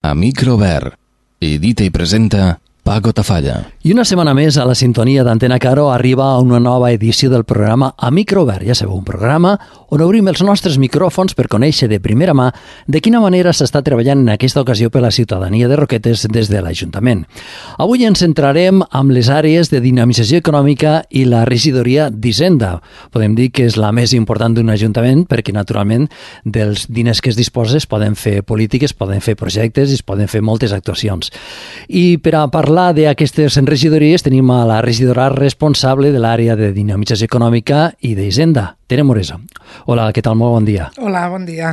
a micro obert. Edita i presenta Paco Tafalla. I una setmana més a la sintonia d'Antena Caro arriba una nova edició del programa A Micro Obert. Ja sabeu, un programa on obrim els nostres micròfons per conèixer de primera mà de quina manera s'està treballant en aquesta ocasió per la ciutadania de Roquetes des de l'Ajuntament. Avui ens centrarem amb les àrees de dinamització econòmica i la regidoria d'Hisenda. Podem dir que és la més important d'un ajuntament perquè, naturalment, dels diners que es disposa es poden fer polítiques, poden fer projectes i es poden fer moltes actuacions. I per a parlar d'aquestes regidories tenim a la regidora responsable de l'àrea de dinamització econòmica i d'Hisenda, Tere Moresa. Hola, què tal? Molt bon dia. Hola, bon dia.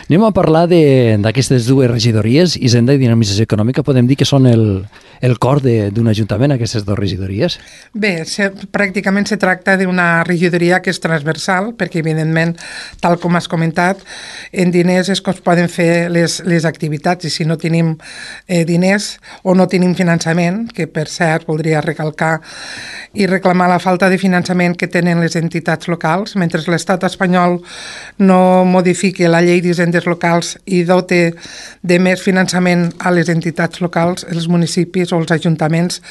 Anem a parlar d'aquestes dues regidories, Hisenda i dinamització econòmica. Podem dir que són el cor d'un ajuntament, aquestes dues regidories? Bé, pràcticament se tracta d'una regidoria que és transversal, perquè, evidentment, tal com has comentat, en diners és com es poden fer les activitats, i si no tenim diners o no tenim finançament, que per cert voldria recalcar i reclamar la falta de finançament que tenen les entitats locals, mentre l'estat espanyol no modifiqui la llei d'hisendes locals i dote de més finançament a les entitats locals, els municipis o els ajuntaments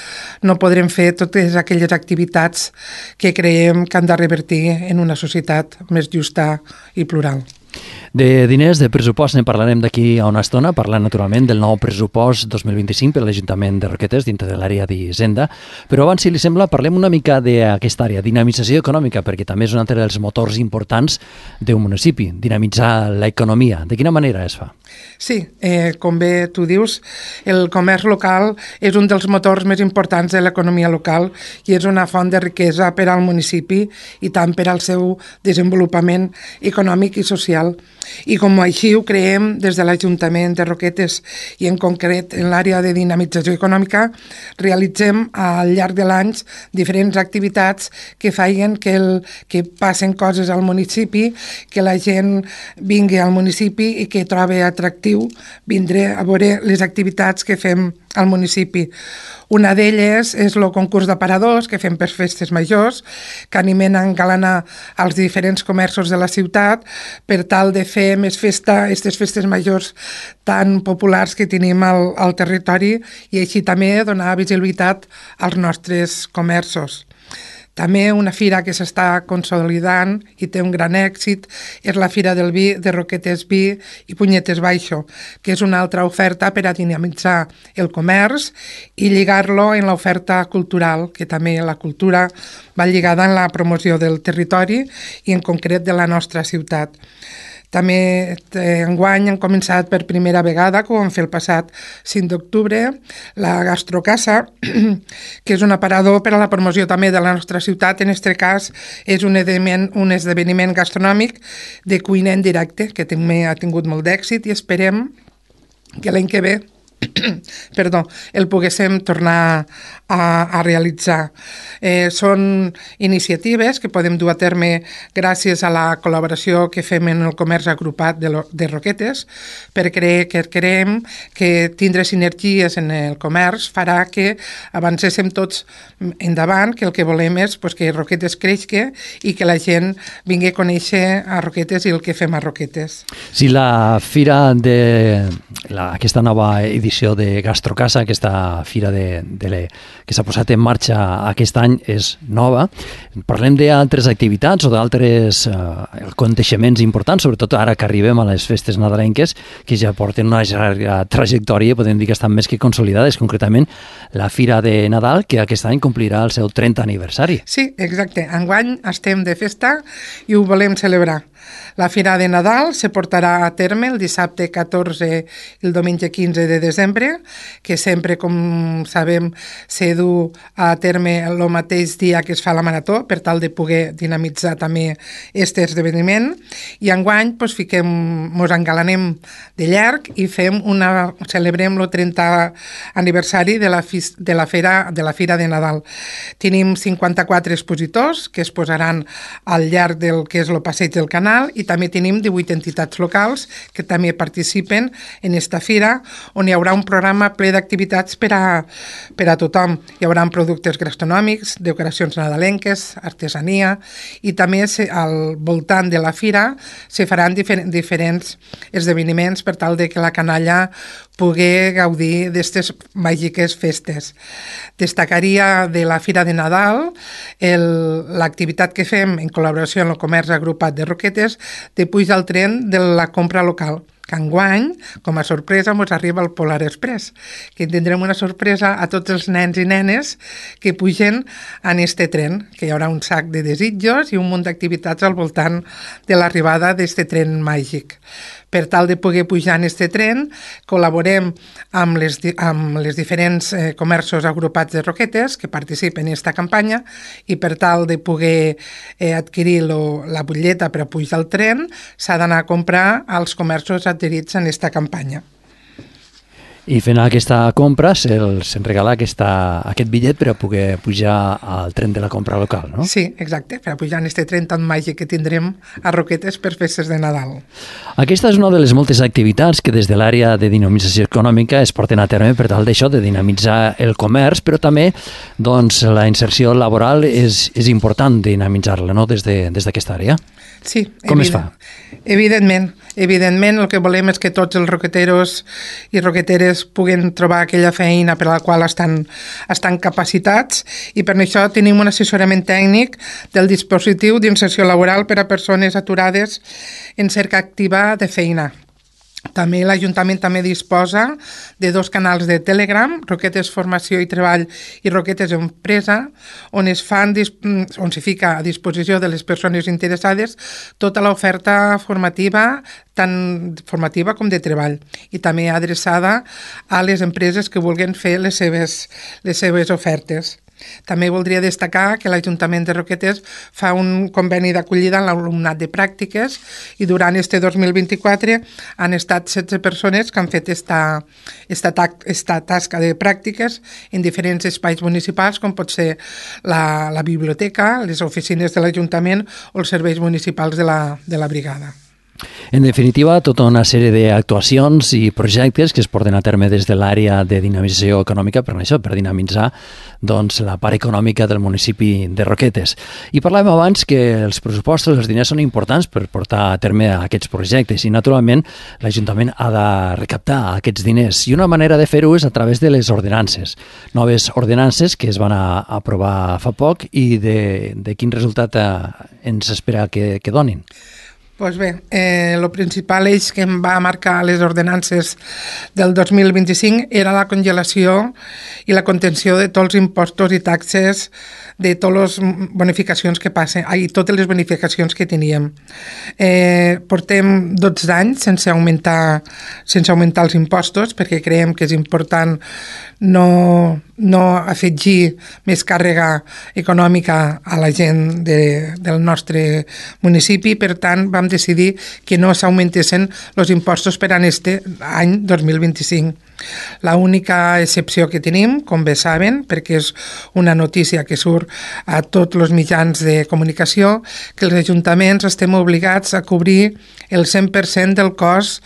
no podrem fer totes aquelles activitats que creiem que han de revertir en una societat més justa i plural. De diners, de pressupost, ne parlarem d'aquí a una estona, parlant naturalment del nou pressupost 2025 per l'Ajuntament de Roquetes dintre de l'àrea d'Hisenda, però abans, si li sembla, parlem una mica d'aquesta àrea, dinamització econòmica, perquè també és un altre dels motors importants d'un municipi, dinamitzar l'economia. De quina manera es fa? Sí, com bé tu dius, el comerç local és un dels motors més importants de l'economia local i és una font de riquesa per al municipi i tant per al seu desenvolupament econòmic i social. I com així ho creiem des de l'Ajuntament de Roquetes i en concret en l'àrea de dinamització econòmica, realitzem al llarg de l'any diferents activitats que feien que passen coses al municipi, que la gent vingui al municipi i que trobi atractiu vindre a veure les activitats que fem al municipi. Una d'elles és el concurs d'aparadors que fem per festes majors, que animen a engalanar els diferents comerços de la ciutat per tal de fer més festa, aquestes festes majors tan populars que tenim al territori i així també donar visibilitat als nostres comerços. També una fira que s'està consolidant i té un gran èxit és la Fira del Vi de Roquetes Vi i Punyetes Baixo, que és una altra oferta per a dinamitzar el comerç i lligar-lo en l'oferta cultural, que també la cultura va lligada en la promoció del territori i en concret de la nostra ciutat. També enguany han començat per primera vegada, com vam fer el passat 5 d'octubre, la Gastrocasa, que és un aparador per a la promoció també de la nostra ciutat. En aquest cas és un esdeveniment gastronòmic de cuina en directe, que també ha tingut molt d'èxit i esperem que l'any que ve el poguéssim tornar a realitzar. Són iniciatives que podem dur a terme gràcies a la col·laboració que fem en el comerç agrupat de Roquetes, perquè creiem que tindre sinergies en el comerç farà que avancéssim tots endavant, que el que volem és que Roquetes creixi i que la gent vingui a conèixer a Roquetes i el que fem a Roquetes. Si la fira aquesta nova edició de Gastrocasa, aquesta fira que s'ha posat en marxa aquest any és nova, parlem d'altres activitats o d'altres aconteixements importants, sobretot ara que arribem a les festes nadalenques, que ja porten una llarga trajectòria, podem dir que estan més que consolidades, concretament la Fira de Nadal, que aquest any complirà el seu 30 aniversari. Sí, exacte. Enguany estem de festa i ho volem celebrar. La Fira de Nadal se portarà a terme el dissabte 14 i el diumenge 15 de desembre, que sempre, com sabem, se du a terme el mateix dia que es fa la marató, per tal de poder dinamitzar també aquest esdeveniment. I enguany mos engalanem de llarg i celebrem el 30 aniversari de la Fira de Nadal. Tenim 54 expositors que es posaran al llarg del que és el passeig del Canal, nacional i també tenim 18 entitats locals que també participen en esta fira, on hi haurà un programa ple d'activitats per a tothom. Hi haurà productes gastronòmics, decoracions nadalenques, artesania, i també al voltant de la fira se faran diferents esdeveniments per tal de que la canalla pugui gaudir d'aquestes màgiques festes. Destacaria de la Fira de Nadal l'activitat que fem en col·laboració amb el comerç agrupat de Roquetes de pujar al tren de la compra local, que enguany, com a sorpresa, ens arriba el Polar Express, que tindrem una sorpresa a tots els nens i nenes que pugen en este tren, que hi haurà un sac de desitjos i un munt d'activitats al voltant de l'arribada d'este tren màgic. Per tal de poder pujar en este tren, col·laborem amb les diferents comerços agrupats de Roquetes que participen en aquesta campanya, i per tal de poder adquirir la butlleta per a pujar al tren s'ha d'anar a comprar als comerços adherits en aquesta campanya. I fent aquesta compra se'n regala aquest bitllet per a poder pujar al tren de la compra local, no? Sí, exacte, per a pujar en aquest tren tan màgic que tindrem a Roquetes per festes de Nadal. Aquesta és una de les moltes activitats que des de l'àrea de dinamització econòmica es porten a terme per tal d'això, de dinamitzar el comerç, però també doncs, la inserció laboral és important dinamitzar-la, no?, des d'aquesta àrea. Sí, com es fa? Evidentment, el que volem és que tots els roqueteros i roqueteres puguen trobar aquella feina per a la qual estan capacitats, i per això tenim un assessorament tècnic del dispositiu d'inserció laboral per a persones aturades en cerca activa de feina. També l'Ajuntament també disposa de 2 canals de Telegram, Roquetes Formació i Treball i Roquetes Empresa, on s'hi fica a disposició de les persones interessades tota l'oferta formativa, tant formativa com de treball, i també adreçada a les empreses que vulguin fer les seves ofertes. També voldria destacar que l'Ajuntament de Roquetes fa un conveni d'acollida amb l'alumnat de pràctiques, i durant este 2024 han estat 16 persones que han fet esta tasca de pràctiques en diferents espais municipals, com pot ser la biblioteca, les oficines de l'Ajuntament o els serveis municipals de la brigada. En definitiva, tota una sèrie d'actuacions i projectes que es porten a terme des de l'àrea de dinamització econòmica per dinamitzar doncs, la part econòmica del municipi de Roquetes. I parlàvem abans que els pressupostos, els diners són importants per portar a terme aquests projectes, i naturalment l'Ajuntament ha de recaptar aquests diners, i una manera de fer-ho és a través de les ordenances. Noves ordenances que es van aprovar fa poc, i de quin resultat ens espera que donin. Doncs bé, el principal eix que em va marcar les ordenances del 2025 era la congelació i la contenció de tots els impostos i taxes, de totes les bonificacions que passen, totes les bonificacions que teníem. Portem 12 anys sense augmentar els impostos, perquè creiem que és important no afegir més càrrega econòmica a la gent del nostre municipi. Per tant, vam decidir que no s'augmentessin els impostos per a aquest any 2025. L'única excepció que tenim, com bé saben, perquè és una notícia que surt a tots els mitjans de comunicació, que els ajuntaments estem obligats a cobrir el 100% del cost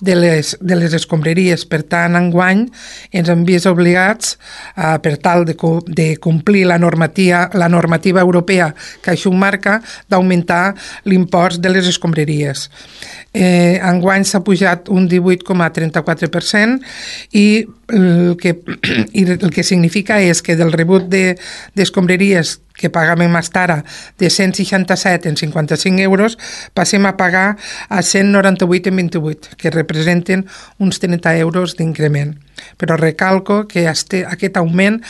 de les escombraries. Per tant, enguany ens hem vist obligats, per tal de complir la normativa europea que això marca, d'augmentar l'impost de les escombraries. Enguany s'ha pujat un 18,34%, i el que significa és que del rebut d'escombraries que pagàvem fins ara de 167 en 55 euros, passem a pagar a 198 en 28, que representen uns 30 euros d'increment. Però recalco que aquest augment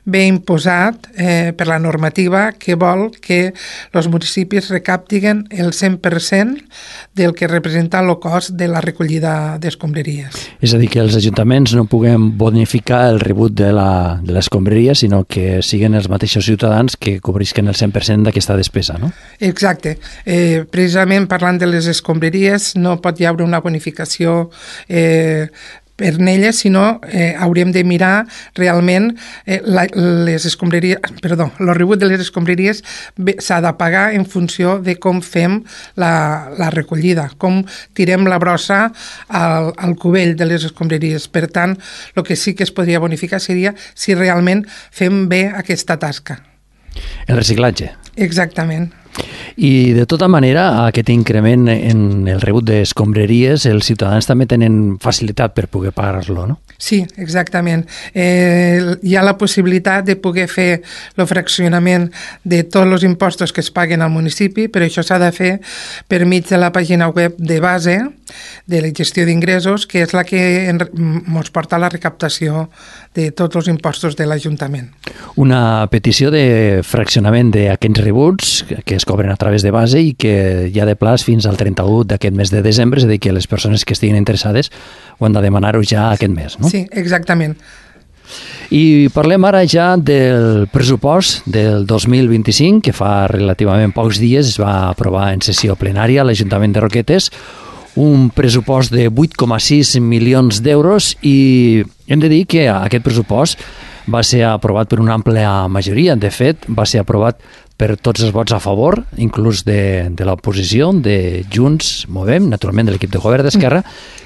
ve imposat per la normativa, que vol que els municipis recaptin el 100% del que representa el cost de la recollida d'escombraries. És a dir, que els ajuntaments no puguem bonificar el rebut de l'escombraria, sinó que siguin els mateixos ciutadans que cobrisquen el 100% d'aquesta despesa, no? Exacte. Precisament parlant de les escombraries, no pot hi haver una bonificació per elles, sinó hauríem de mirar realment les escombraries, el rebut de les escombraries s'ha de pagar en funció de com fem la recollida, com tirem la brossa al cubell de les escombraries. Per tant, el que sí que es podria bonificar seria si realment fem bé aquesta tasca. El reciclatge. Exactament. I de tota manera, aquest increment en el rebut d'escombraries, els ciutadans també tenen facilitat per poder pagar-lo, no? Sí, exactament. Hi ha la possibilitat de poder fer el fraccionament de tots els impostos que es paguen al municipi, però això s'ha de fer per mig de la pàgina web de base de la gestió d'ingressos, que és la que ens porta a la recaptació de tots els impostos de l'Ajuntament. Una petició de fraccionament d'aquests rebuts que es cobren a través de base i que hi ha de plaç fins al 31 d'aquest mes de desembre, és a dir, que les persones que estiguin interessades ho han de demanar-ho ja aquest mes, no? Sí, exactament. I parlem ara ja del pressupost del 2025, que fa relativament pocs dies es va aprovar en sessió plenària a l'Ajuntament de Roquetes, un pressupost de 8,6 milions d'euros, i hem de dir que aquest pressupost va ser aprovat per una àmplia majoria. De fet, va ser aprovat per tots els vots a favor, inclús de l'oposició, de Junts, Movem, naturalment de l'equip de govern d'Esquerra,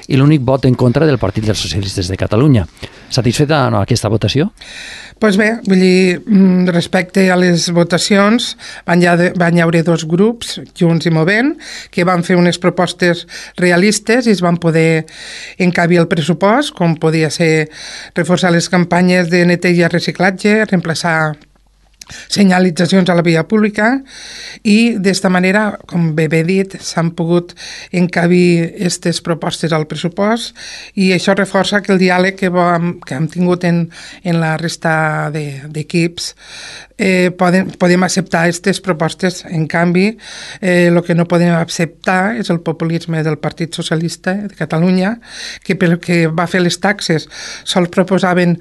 i l'únic vot en contra del Partit dels Socialistes de Catalunya. Satisfeta aquesta votació? Doncs bé, vull dir, respecte a les votacions, van hi haver dos grups, Junts i Movem, que van fer unes propostes realistes i es van poder encabir el pressupost, com podia ser reforçar les campanyes de neteja i reciclatge, reemplaçar senyalitzacions a la via pública, i d'esta manera, com bé he dit, s'han pogut encabir aquestes propostes al pressupost, i això reforça que el diàleg que hem tingut en la resta d'equips podem acceptar aquestes propostes. En canvi, el que no podem acceptar és el populisme del Partit Socialista de Catalunya, que pel que va fer les taxes sols proposaven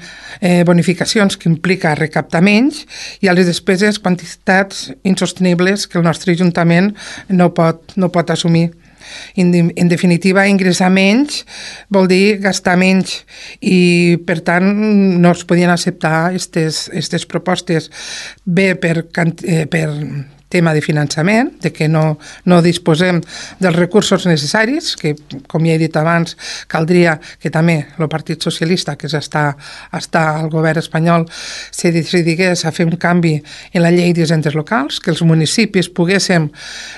bonificacions que implica recaptar menys, i a les despeses quantitats insostenibles que el nostre Ajuntament no pot assumir. En definitiva, ingressar menys vol dir gastar menys, i per tant no es podien acceptar aquestes propostes, bé per tema de finançament, de que no disposem dels recursos necessaris, que, com ja he dit abans, caldria que també el Partit Socialista, que està al govern espanyol, se decidigués a fer un canvi en la llei d'hisendes locals, que els municipis poguéssim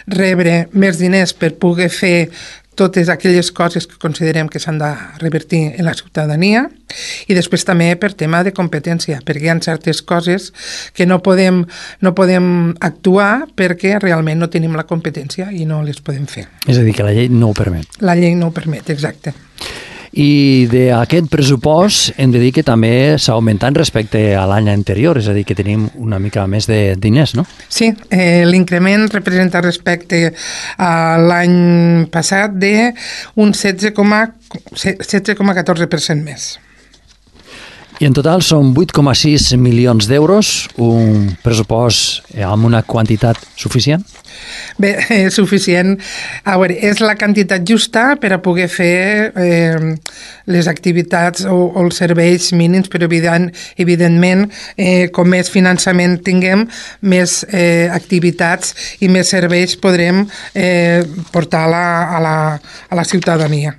rebre més diners per poder fer totes aquelles coses que considerem que s'han de revertir en la ciutadania, i després també per tema de competència, perquè hi ha certes coses que no podem actuar perquè realment no tenim la competència i no les podem fer. És a dir, que la llei no ho permet. La llei no ho permet, exacte. I d'aquest pressupost hem de dir que també s'ha augmentat respecte a l'any anterior, és a dir, que tenim una mica més de diners, no? Sí, l'increment representa respecte a l'any passat d'un 16,14% més. I en total són 8,6 milions d'euros, un pressupost amb una quantitat suficient? Bé, és suficient. A veure, és la quantitat justa per a poder fer les activitats o els serveis mínims, però evidentment, com més finançament tinguem, més activitats i més serveis podrem portar a la ciutadania.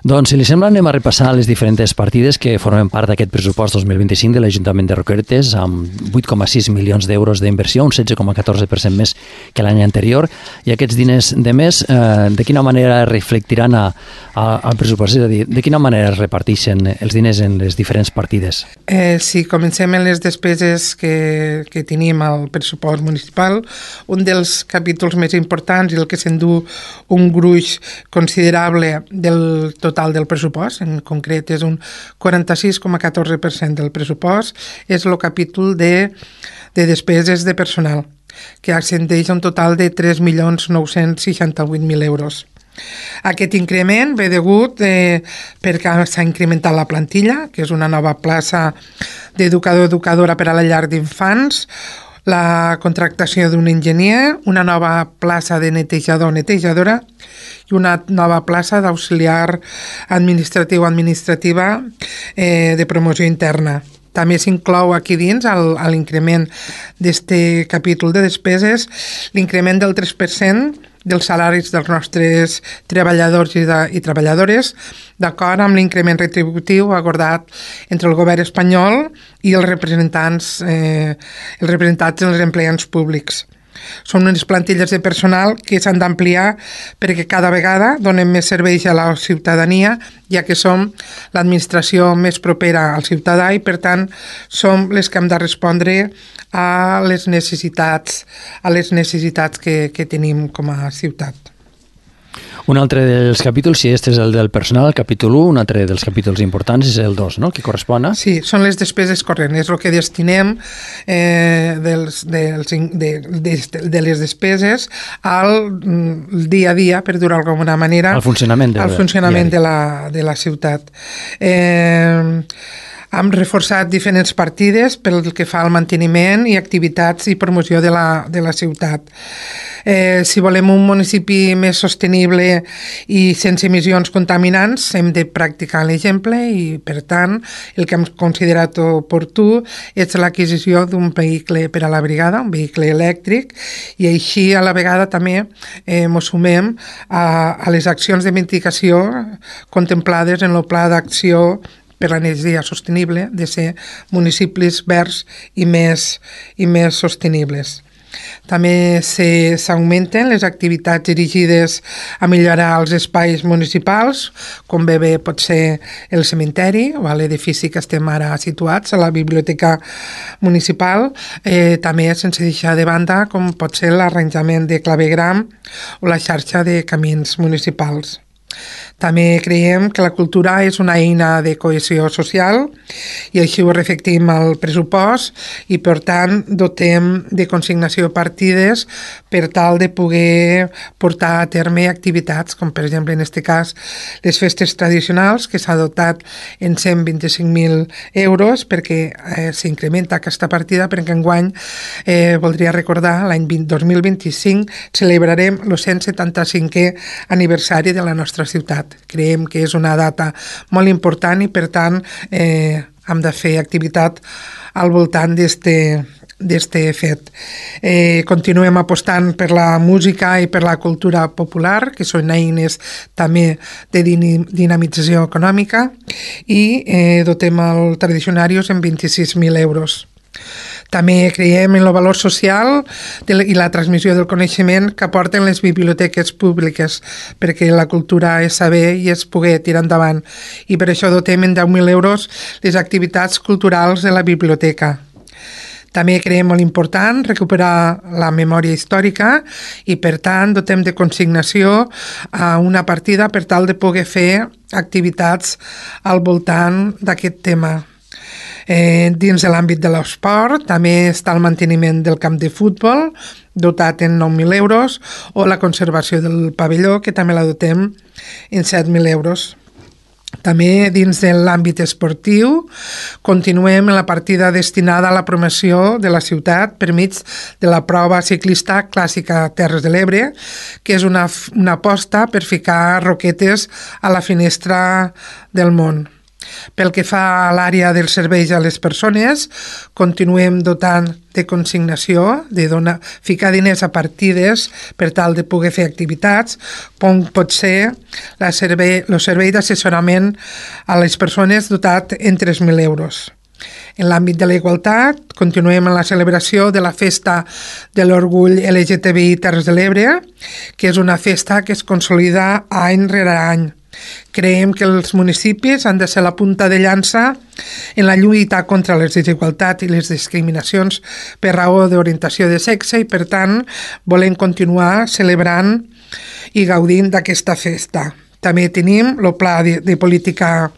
Doncs, si li sembla, anem a repassar les diferents partides que formen part d'aquest pressupost 2025 de l'Ajuntament de Roquetes, amb 8,6 milions d'euros d'inversió, un 16,14% més que l'any anterior, i aquests diners de més, de quina manera reflectiran al pressupost? És a dir, de quina manera es reparteixen els diners en les diferents partides? Si comencem en les despeses que tenim al pressupost municipal, un dels capítols més importants i el que s'endú un gruix considerable del total del pressupost, en concret és un 46,14% del pressupost, és el capítol de despeses de personal, que ascendeix a un total de 3.968.000 euros. Aquest increment ve degut perquè s'ha incrementat la plantilla, que és una nova plaça d'educador-educadora per a la llar d'infants, la contractació d'un enginyer, una nova plaça de netejador o netejadora i una nova plaça d'auxiliar administrativa de promoció interna. També s'inclou aquí dins, a l'increment d'aquest capítol de despeses, l'increment del 3% dels salaris dels nostres treballadors i treballadores, d'acord amb l'increment retributiu acordat entre el govern espanyol i els representats dels empleats públics. Són unes plantilles de personal que s'han d'ampliar perquè cada vegada donem més serveis a la ciutadania, ja que som l'administració més propera al ciutadà i, per tant, som les que hem de respondre a les necessitats que tenim com a ciutat. Un altre dels capítols, si este és el del personal, el capítol 1, un altre dels capítols importants és el 2, no?, que correspon a... Sí, són les despeses corrents, és el que destinem de les despeses al dia a dia, per dir-ho d'alguna manera, al funcionament de la ciutat. Hem reforçat diferents partides pel que fa al manteniment i activitats i promoció de la ciutat. Si volem un municipi més sostenible i sense emissions contaminants, hem de practicar l'exemple i, per tant, el que hem considerat oportú és l'adquisició d'un vehicle per a la brigada, un vehicle elèctric, i així a la vegada també ens sumem a les accions de mitigació contemplades en el Pla d'Acció per l'Energia Sostenible de ser municipis verds i més sostenibles. També s'augmenten les activitats dirigides a millorar els espais municipals, com bé pot ser el cementeri o l'edifici que estem ara situats, a la biblioteca municipal, també sense deixar de banda com pot ser l'arranjament de clavegram o la xarxa de camins municipals. També creiem que la cultura és una eina de cohesió social i així ho reflectim al pressupost i, per tant, dotem de consignació partides per tal de poder portar a terme activitats, com per exemple en aquest cas les festes tradicionals, que s'ha dotat en 125.000 euros perquè s'incrementa aquesta partida, perquè enguany voldria recordar l'any 2025 celebrarem el 175è aniversari de la nostra ciutat. Creiem que és una data molt important i, per tant, hem de fer activitat al voltant d'este fet. Continuem apostant per la música i per la cultura popular, que són eines també de dinamització econòmica, i dotem el Tradicionarios en 26.000 euros. També creiem en el valor social i la transmissió del coneixement que aporten les biblioteques públiques, perquè la cultura és saber i és poder tirar endavant, i per això dotem en 10.000 euros les activitats culturals de la biblioteca. També creiem molt important recuperar la memòria històrica i, per tant, dotem de consignació a una partida per tal de poder fer activitats al voltant d'aquest tema. Dins de l'àmbit de l'esport també està el manteniment del camp de futbol, dotat en 9.000 euros, o la conservació del pavelló, que també la dotem en 7.000 euros. També dins de l'àmbit esportiu continuem en la partida destinada a la promoció de la ciutat per mig de la prova ciclista clàssica Terres de l'Ebre, que és una aposta per ficar roquetes a la finestra del món. Pel que fa a l'àrea dels serveis a les persones, continuem dotant de consignació, de ficar diners a partides per tal de poder fer activitats, com pot ser el servei d'assessorament a les persones dotat en 3.000 euros. En l'àmbit de la igualtat, continuem en la celebració de la Festa de l'Orgull LGTBI Terres de l'Ebre, que és una festa que es consolida any rere any. Creiem que els municipis han de ser la punta de llança en la lluita contra les desigualtats i les discriminacions per raó d'orientació de sexe i, per tant, volem continuar celebrant i gaudint d'aquesta festa. També tenim el pla de política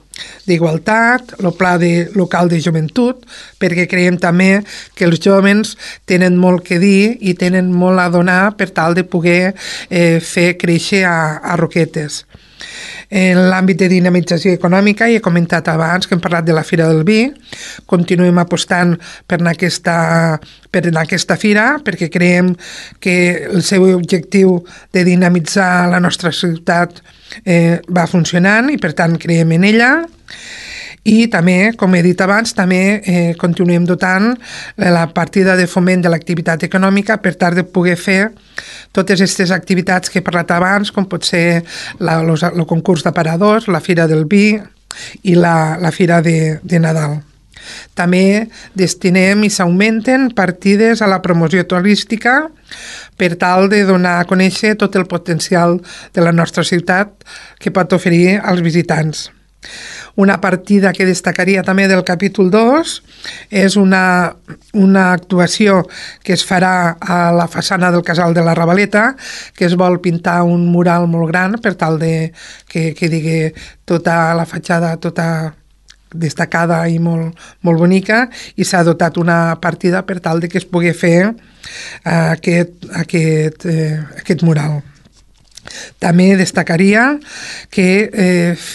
d'igualtat, el pla local de joventut, perquè creiem també que els jóvens tenen molt que dir i tenen molt a donar per tal de poder fer créixer a Roquetes. En l'àmbit de dinamització econòmica, he comentat abans que hem parlat de la Fira del Vi, continuem apostant per aquesta fira perquè creiem que el seu objectiu de dinamitzar la nostra ciutat va funcionant i per tant creiem en ella. I també, com he dit abans, també continuem dotant la partida de foment de l'activitat econòmica per tal de poder fer totes aquestes activitats que he parlat abans, com pot ser el concurs d'aparadors, la Fira del Vi i la Fira de Nadal. També destinem i s'augmenten partides a la promoció turística per tal de donar a conèixer tot el potencial de la nostra ciutat que pot oferir als visitants. Una partida que destacaria també del capítol 2 és una actuació que es farà a la façana del Casal de la Ravaleta, que es vol pintar un mural molt gran per tal de que digui tota la fatxada tota destacada i molt bonica, i s'ha dotat una partida per tal de que es pugui fer aquest mural. També destacaria que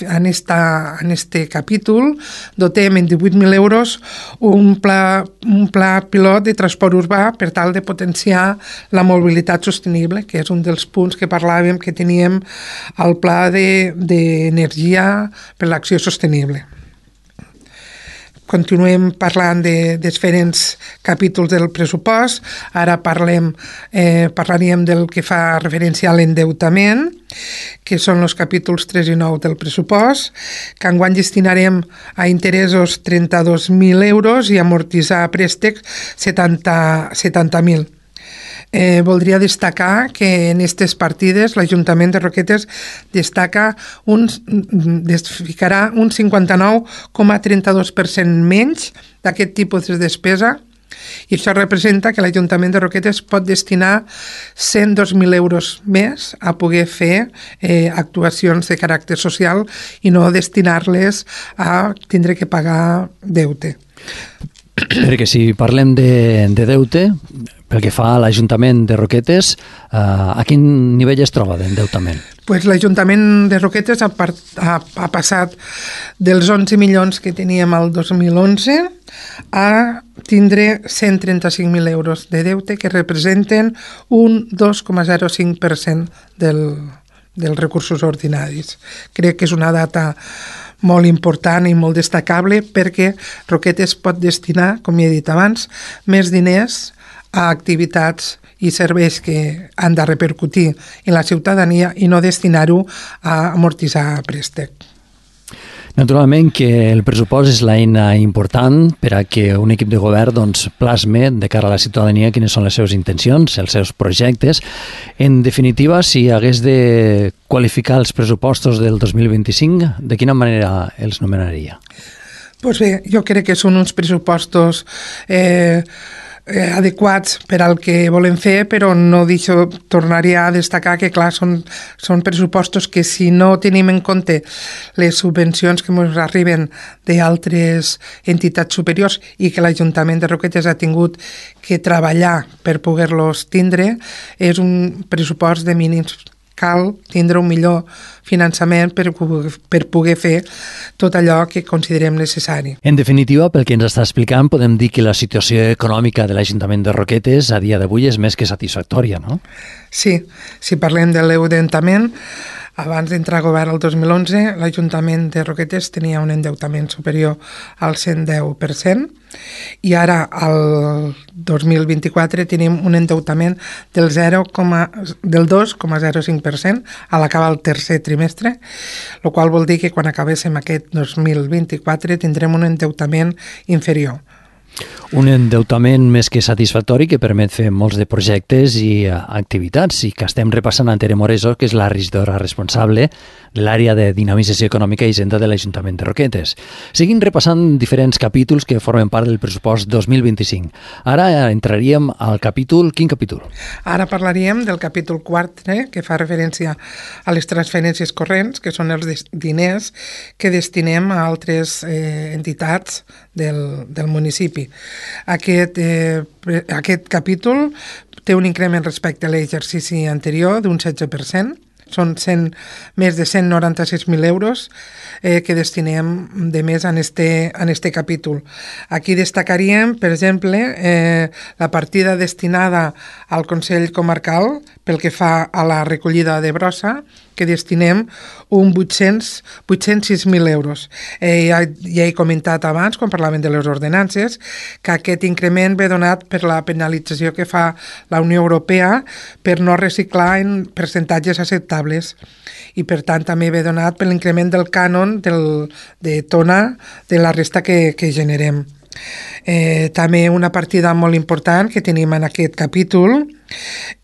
en este capítol dotem en 18.000 euros un pla pilot de transport urbà per tal de potenciar la mobilitat sostenible, que és un dels punts que parlàvem que teníem al pla d'energia per l'acció sostenible. Continuem parlant de diferents capítols del pressupost. Ara parlaríem del que fa referència a l'endeutament, que són els capítols 3 i 9 del pressupost, que enguany destinarem a interessos 32.000 euros i a amortitzar préstecs 70.000. Voldria destacar que en aquestes partides l'Ajuntament de Roquetes ficarà un 59,32% menys d'aquest tipus de despesa, i això representa que l'Ajuntament de Roquetes pot destinar 102.000 euros més a poder fer actuacions de caràcter social i no destinar-les a tindre que pagar deute. Perquè si parlem de deute, pel que fa a l'Ajuntament de Roquetes, a quin nivell es troba d'endeutament? Pues l'Ajuntament de Roquetes ha passat dels 11 milions que teníem el 2011 a tindre 135.000 euros de deute, que representen un 2,05% dels recursos ordinaris. Crec que és una data molt important i molt destacable perquè Roquetes pot destinar, com he dit abans, més diners a activitats i serveis que han de repercutir en la ciutadania i no destinar-ho a amortitzar préstec. Naturalment que el pressupost és l'eina important per a que un equip de govern plasme de cara a la ciutadania quines són les seves intencions, els seus projectes. En definitiva, si hagués de qualificar els pressupostos del 2025, de quina manera els nomenaria? Doncs bé, jo crec que són uns pressupostos adequats per al que volem fer, però no tornaria a destacar que, clar, són pressupostos que si no tenim en compte les subvencions que ens arriben d'altres entitats superiors i que l'Ajuntament de Roquetes ha tingut que treballar per poder-los tindre, és un pressupost de mínims. Cal tindre un millor finançament per poder fer tot allò que considerem necessari. En definitiva, pel que ens està explicant, podem dir que la situació econòmica de l'Ajuntament de Roquetes a dia d'avui és més que satisfactòria, no? Sí, si parlem de l'endeutament, abans d'entrar a govern el 2011, l'Ajuntament de Roquetes tenia un endeutament superior al 110%, i ara, al 2024, tenim un endeutament del 2,05% a l'acabar el tercer trimestre, el qual vol dir que quan acabéssim aquest 2024 tindrem un endeutament inferior. Un endeutament més que satisfactori que permet fer molts de projectes i activitats, i que estem repassant a Tere Moreso, que és la regidora responsable de l'àrea de dinamització econòmica i hisenda de l'Ajuntament de Roquetes. Seguim repassant diferents capítols que formen part del pressupost 2025. Ara entraríem al capítol... Quin capítol? Ara parlaríem del capítol 4, que fa referència a les transferències corrents, que són els diners que destinem a altres entitats del municipi. Aquest capítol té un increment respecte a l'exercici anterior d'un 16%. són més de 196.000 euros que destinem de més en este capítol. Aquí destacaríem, per exemple, la partida destinada al Consell Comarcal pel que fa a la recollida de brossa, que destinem 806.000 euros. Ja he comentat abans, quan parlàvem de les ordenances, que aquest increment ve donat per la penalització que fa la Unió Europea per no reciclar en percentatges acceptables i, per tant, també ve donat per l'increment del cànon de tona de la resta que generem. També una partida molt important que tenim en aquest capítol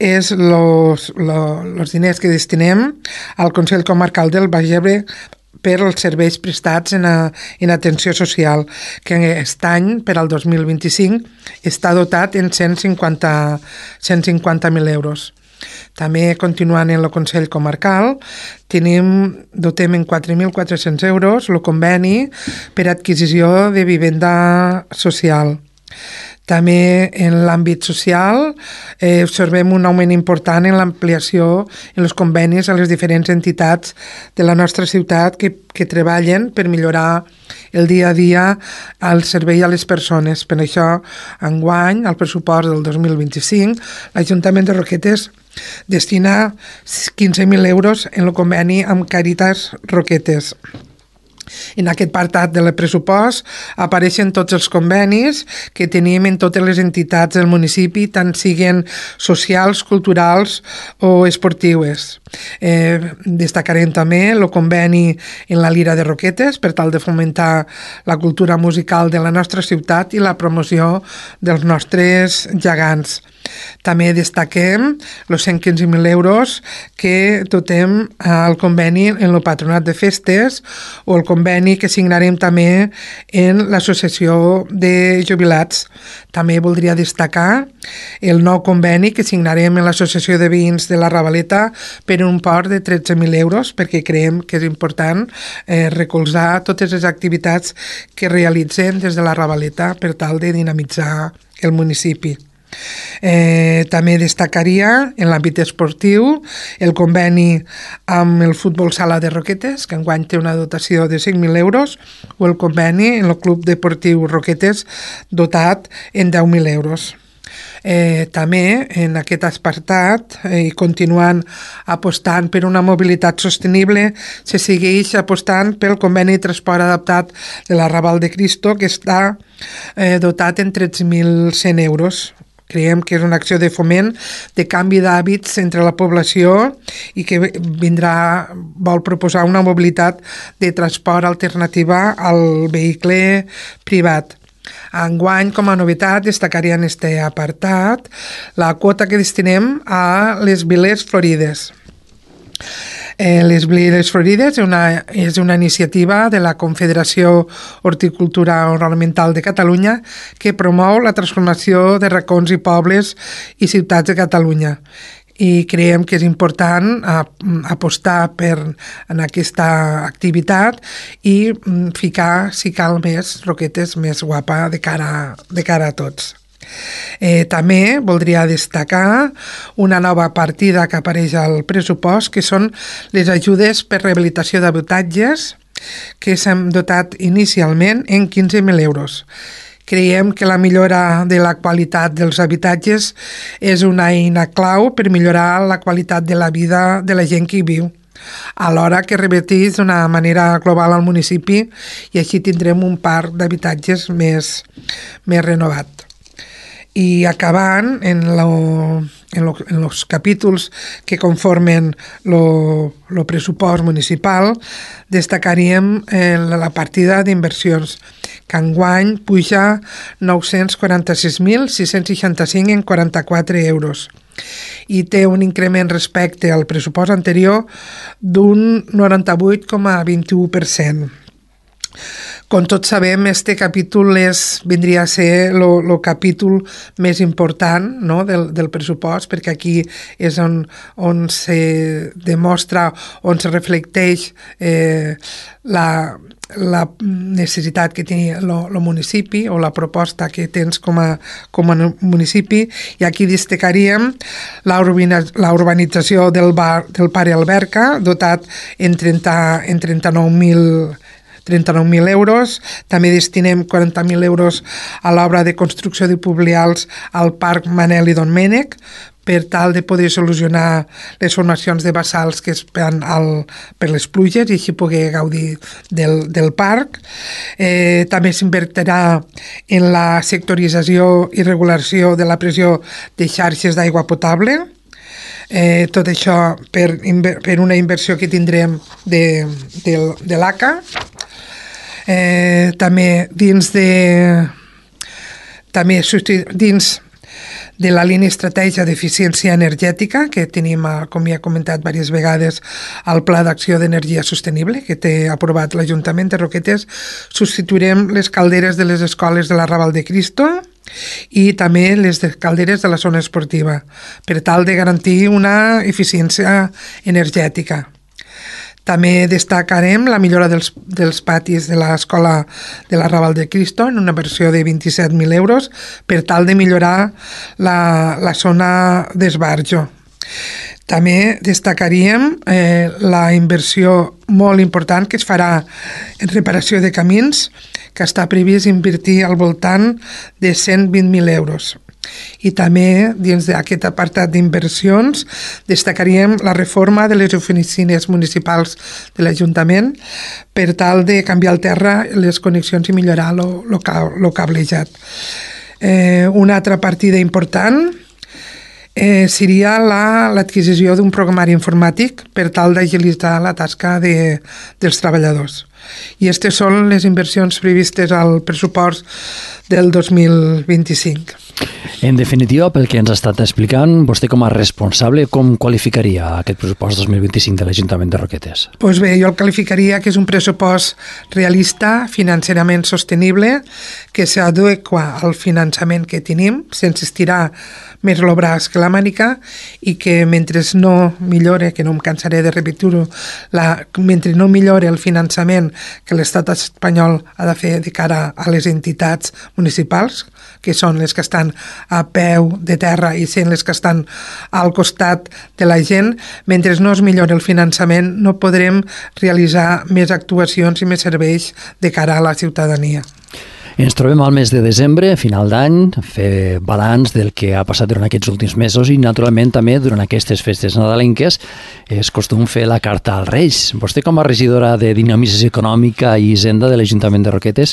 és els diners que destinem al Consell Comarcal del Baix Ebre per als serveis prestats en atenció social, que aquest any, per al 2025, està dotat en 150.000 euros. També, continuant en el Consell Comarcal, dotem en 4.400 euros el conveni per adquisició de vivenda social. També en l'àmbit social observem un augment important en l'ampliació en els convenis a les diferents entitats de la nostra ciutat que treballen per millorar el dia a dia al servei a les persones. Per això, enguany, al pressupost del 2025, l'Ajuntament de Roquetes destina 15.000 euros en el conveni amb Càritas Roquetes. En aquest apartat del pressupost apareixen tots els convenis que tenim en totes les entitats del municipi, tant siguin socials, culturals o esportives. Destacarem també el conveni en la Lira de Roquetes per tal de fomentar la cultura musical de la nostra ciutat i la promoció dels nostres gegants. També destaquem els 115.000 euros que dotem al conveni en el Patronat de Festes o el conveni que signarem també en l'Associació de Jubilats. També voldria destacar el nou conveni que signarem en l'Associació de Veïns de la Ravaleta per un import de 13.000 euros, perquè creiem que és important recolzar totes les activitats que realitzem des de la Ravaleta per tal de dinamitzar el municipi. També destacaria en l'àmbit esportiu el conveni amb el Futbol Sala de Roquetes, que enguany té una dotació de 5.000 euros, o el conveni en el Club Deportiu Roquetes dotat en 10.000 euros. També en aquest apartat i continuant apostant per una mobilitat sostenible, se segueix apostant pel conveni de transport adaptat de la Raval de Cristo, que està dotat en 13.100 euros. Creiem que és una acció de foment de canvi d'hàbits entre la població i que vol proposar una mobilitat de transport alternativa al vehicle privat. Enguany, com a novetat, destacaria en aquest apartat la quota que destinem a les Viles Florides. Les Viles Florides és una iniciativa de la Confederació Horticultura Ornamental de Catalunya que promou la transformació de racons i pobles i ciutats de Catalunya. I creiem que és important apostar en aquesta activitat i ficar, si cal, més Roquetes més guapa de cara a tots. També voldria destacar una nova partida que apareix al pressupost, que són les ajudes per rehabilitació d'habitatges, que s'han dotat inicialment en 15.000 euros. Creiem que la millora de la qualitat dels habitatges és una eina clau per millorar la qualitat de la vida de la gent que hi viu, alhora que reverteix d'una manera global al municipi i així tindrem un parc d'habitatges més renovat. I acabant en els capítols que conformen el pressupost municipal, destacaríem la partida d'inversions, que enguany puja 946.665 en 44 euros i té un increment respecte al pressupost anterior d'un 98,21%. Com tots sabem, este capítol vindria a ser el capítol més important, no, del pressupost, perquè aquí és on se demostra, on se reflecteix la necessitat que té el municipi o la proposta que tens com a municipi, i aquí destacaríem la urbanització del Pare Alberca, dotat en 39.000 euros. També destinem 40.000 euros a l'obra de construcció de publials al Parc Manel i Domènec, per tal de poder solucionar les formacions de bassals que es fan per les pluges i així poder gaudir del parc. També s'invertirà en la sectorització i regulació de la pressió de xarxes d'aigua potable. Tot això per una inversió que tindrem de l'ACA. També dins de la línia estratègia d'eficiència energètica, que tenim, com ja he comentat diverses vegades, el Pla d'Acció d'Energia Sostenible, que té aprovat l'Ajuntament de Roquetes, substituirem les calderes de les escoles de la Raval de Cristo i també les calderes de la zona esportiva, per tal de garantir una eficiència energètica. També destacarem la millora dels patis de l'escola de la Raval de Cristo en una versió de 27.000 euros per tal de millorar la zona d'esbarjo. També destacaríem la inversió molt important que es farà en reparació de camins, que està previst invertir al voltant de 120.000 euros. I també, dins d'aquest apartat d'inversions, destacaríem la reforma de les oficines municipals de l'Ajuntament per tal de canviar al terra les connexions i millorar el cablejat. Una altra partida important seria l'adquisició d'un programari informàtic per tal d'agilitzar la tasca dels treballadors. I aquestes són les inversions previstes al pressupost del 2025. En definitiva, pel que ens ha estat explicant, vostè com a responsable, com qualificaria aquest pressupost 2025 de l'Ajuntament de Roquetes? Doncs bé, jo el qualificaria que és un pressupost realista, financerament sostenible, que s'adequa al finançament que tenim, sense estirar més el braç que la mànica, i que mentre no millore, que no em cansaré de repetir-ho, mentre no millore el finançament que l'estat espanyol ha de fer de cara a les entitats municipals, que són les que estan a peu de terra i sent les que estan al costat de la gent, mentre no es millori el finançament no podrem realitzar més actuacions i més serveis de cara a la ciutadania. Ens trobem al mes de desembre, final d'any, fer balanç del que ha passat durant aquests últims mesos i, naturalment, també durant aquestes festes nadalenques és costum fer la carta als Reis. Vostè, com a regidora de Dinamització Econòmica i Hisenda de l'Ajuntament de Roquetes,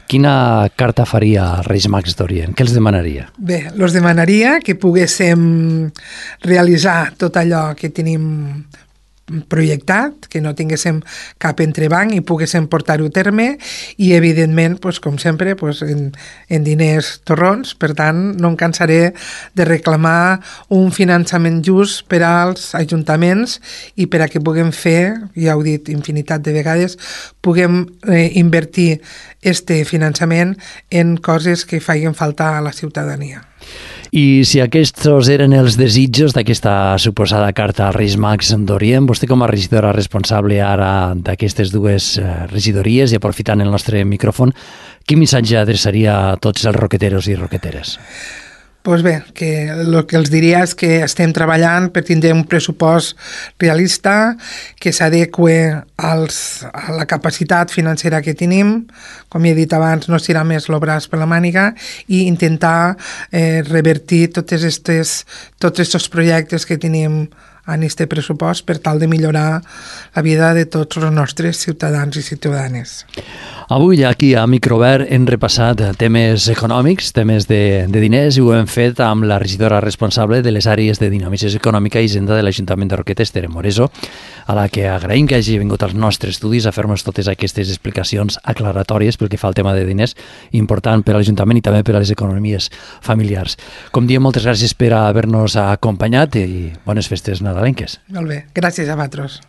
quina carta faria als Reis Mags d'Orient? Què els demanaria? Bé, els demanaria que poguéssim realitzar tot allò que tenim projectat, que no tinguéssim cap entrebanc i poguéssim portar-ho a terme i, evidentment, com sempre, en diners torrons. Per tant, no em cansaré de reclamar un finançament just per als ajuntaments i per a que puguem fer, ja ho he dit infinitat de vegades, puguem invertir este finançament en coses que facin falta a la ciutadania. I si aquests eren els desitjos d'aquesta suposada carta als Reis Mags d'Orient, vostè com a regidora responsable ara d'aquestes dues regidories i aprofitant el nostre micròfon, quin missatge adreçaria a tots els roqueteros i roqueteres? Doncs bé, que el que els diria és que estem treballant per tindre un pressupost realista que s'adeqüe a la capacitat financera que tenim, com he dit abans, no estirar més el braç per la màniga i intentar revertir tots aquests projectes que tenim en aquest pressupost per tal de millorar la vida de tots els nostres ciutadans i ciutadanes. Avui aquí a Microobert hem repassat temes econòmics, temes de diners, i ho hem fet amb la regidora responsable de les àrees de Dinamització Econòmica i Hisenda de l'Ajuntament de Roquetes, Tere Moreso, a la que agraïm que hagi vingut als nostres estudis a fer-nos totes aquestes explicacions aclaratòries pel que fa al tema de diners, important per a l'Ajuntament i també per a les economies familiars. Com diem, moltes gràcies per haver-nos acompanyat i bones festes nadalenques. Molt bé, gràcies a vosaltres.